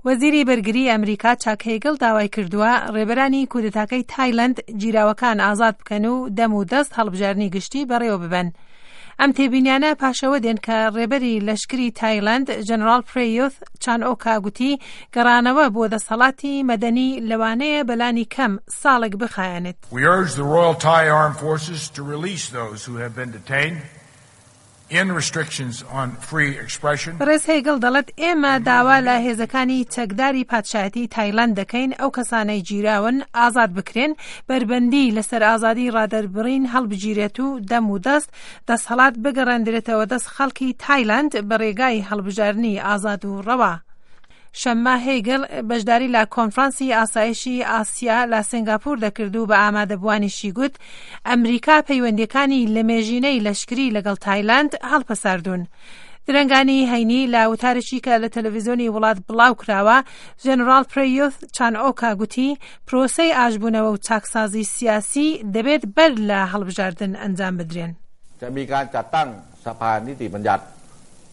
وەزیری بەرگریی ئەمریکا چاک هێگڵ داوای کردووە ڕێبەرانی کودەتاکەی تایلەند گیراوەکان ئازاد بکەن و دەم و دەست هەڵبژاردنی گشتی بەڕێوە ببەن. ئەم تێبینیانە پاشەوە دێن کە ڕێبەری لەشکری تایلەند ژەنەراڵ پرێیوث چان ئۆکا گوتی گەڕانەوە بۆ دەسەڵاتی مەدەنی لەوانەیە بەلانی کەم ساڵێک بخایەنێت. We urge the Royal Thai Armed Forces to release those who have been detained. بەڕێز هێگڵ دەڵێت ئێمە داوا لە هێزەکانی چەکداری پادشایەتی تایلەند دەکەین ئەو کەسانەی گیراون ئازاد بکرێن، بەربەندی لەسەر ئازادی ڕادەربڕین هەڵبگیرێت و دەم و دەست دەسهەڵات بگەڕێندرێتەوە دەست خەڵکی تایلەند بە ڕێگای هەڵبژاردنی ئازاد و ڕەوا. شەممە هێگل بەشداری لە کۆنفرانسی ئاسایشی ئاسیا لە سنگاپور دەکرد و بە ئامادەبووانیشی گوت، ئەمریکا پەیوەندییەکانی لەمێژینەی لەشکری لەگەڵ تایلەند هەڵپەساردوون. درەنگانی هەینی لە وتارێکی کە لە تەلەڤیزیۆنی وڵات بڵاوکراوە، ژەنەراڵ پرەیوث چان ئۆکا گوتی، پرۆسەی ئاشبوونەوە و چاکسازی سیاسی دەبێت بەر لە هەڵبژاردن ئەنجام بدرێن. ຈະມີການຈັດຕັ້ງສະພານິຕິບັນຍັດ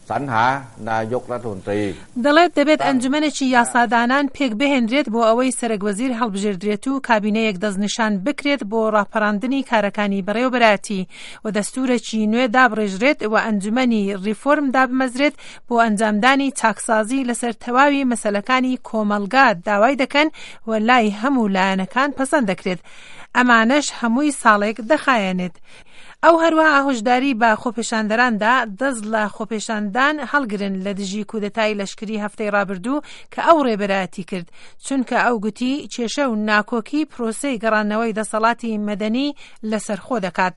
ສັນຫານາຍົກລັດຖະມົນຕີ دەڵێت دەبێت ئەنجومەنێکی یاسادانان پێکبهێنرێت بۆ ئەوەی سەرەک وەزیر هەڵبژێردرێت و کابینەیەک دەستنیشان بکرێت بۆ ڕاپەڕاندنی کارەکانی بەڕێوەبەرایەتی و دەستورێکی نوێ دابڕێژرێت و ئەنجومەنی ڕیفۆرم دابمەزرێت بۆ ئەنجامدانی چاکسازی لەسەر تەواوی مەسەلەکانی کۆمەڵگا داوای دەکەن و لای هەموو لایەنەکان پەسەند دەکرێت ئەمانەش هەمووی ساڵێک دەخایەنێت. ئەو هەروەها هۆشداری بە خۆپێشاندەران دا دەست لە خۆپێشاندان هەڵگرن لە دژی کودەتای لەشکری هەفتەی ڕابردوو کە ئەو ڕێبەرایەتی کرد، چونکە ئەو گوتی کێشە و ناکۆکی پرۆسەی گەڕاندنەوەی دەسەڵاتی مەدەنی لەسەرخۆ دەکات.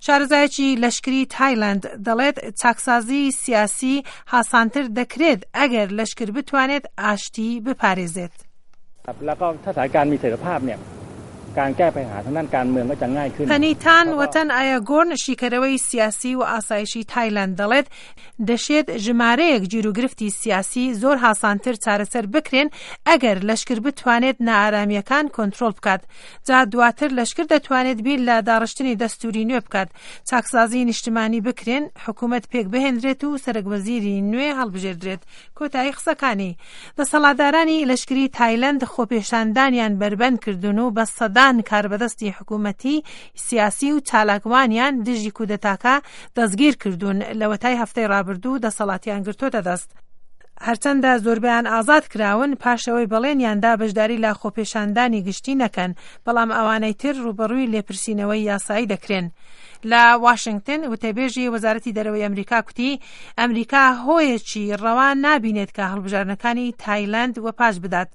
شارەزایەکی لەشکری تایلەند دەڵێت چاکسازی سیاسی هاسانتر دەکرێت ئەگەر لەشکر بتوانێت ئاشتی بپارێزێت. پەنیتان وەتەن ئایاگۆرن شیکەرەوەی سیاسی و ئاسایشی تایلەند دەڵێت، دەشێت ژمارەیەک گیروگرفتی سیاسی زۆر هاسانتر چارەسەر بکرێن ئەگەر لەشکر بتوانێت نائارامییەکان کۆنترۆڵ بکات جا دواتر لەشکر دەتوانێت بیر لە داڕشتنی دەستوری نوێ بکات چاکسازی نیشتمانی بکرێن حکومەت پێکبهێنرێت و سەرەکوەزیری نوێ هەڵبژێردرێت کۆتایی قسەکانی، دەسەڵاتدارانی لەشکری تایلەند خۆپێشاندانیان بەربەند کردوون و بە سەدان کاربەدەستی حکوومەتی، سیاسی و چالاکوانیان دژی کودەتاکە دەستگیر کردوون، لەوەتای هەفتەی ڕابردوو دەسەڵاتیان گرتۆتە دەست. هەرچەندە زۆربەیان ئازاد کراون پاشئەوەی بەڵێنیان دا بەشداری لە خۆپێشاندانی گشتی نەکەن، بەڵام ئەوانەی تر ڕووبەڕووی لێپرسینەوەی یاسایی دەکرێن. لە واشنگتن، وتەبێژی وەزارەتی دەرەوەی ئەمریکا کوتی، ئەمریکا هۆیەکی ڕەوا نابینێت کە هەڵبژاردنەکانی تایلەند وەپاش بدات.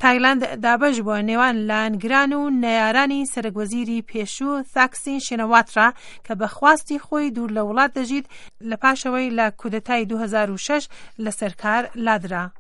تایلەند دابەش بووە نێوان لایەنگران و نەیارانی سەرەکوەزیری پێشوو ثاکسین شینەواترا کە بە خواستی خۆی دوور لە وڵات دەژیت لە پاشەوەی لە کودەتای 2006 لەسەر کار لادرا.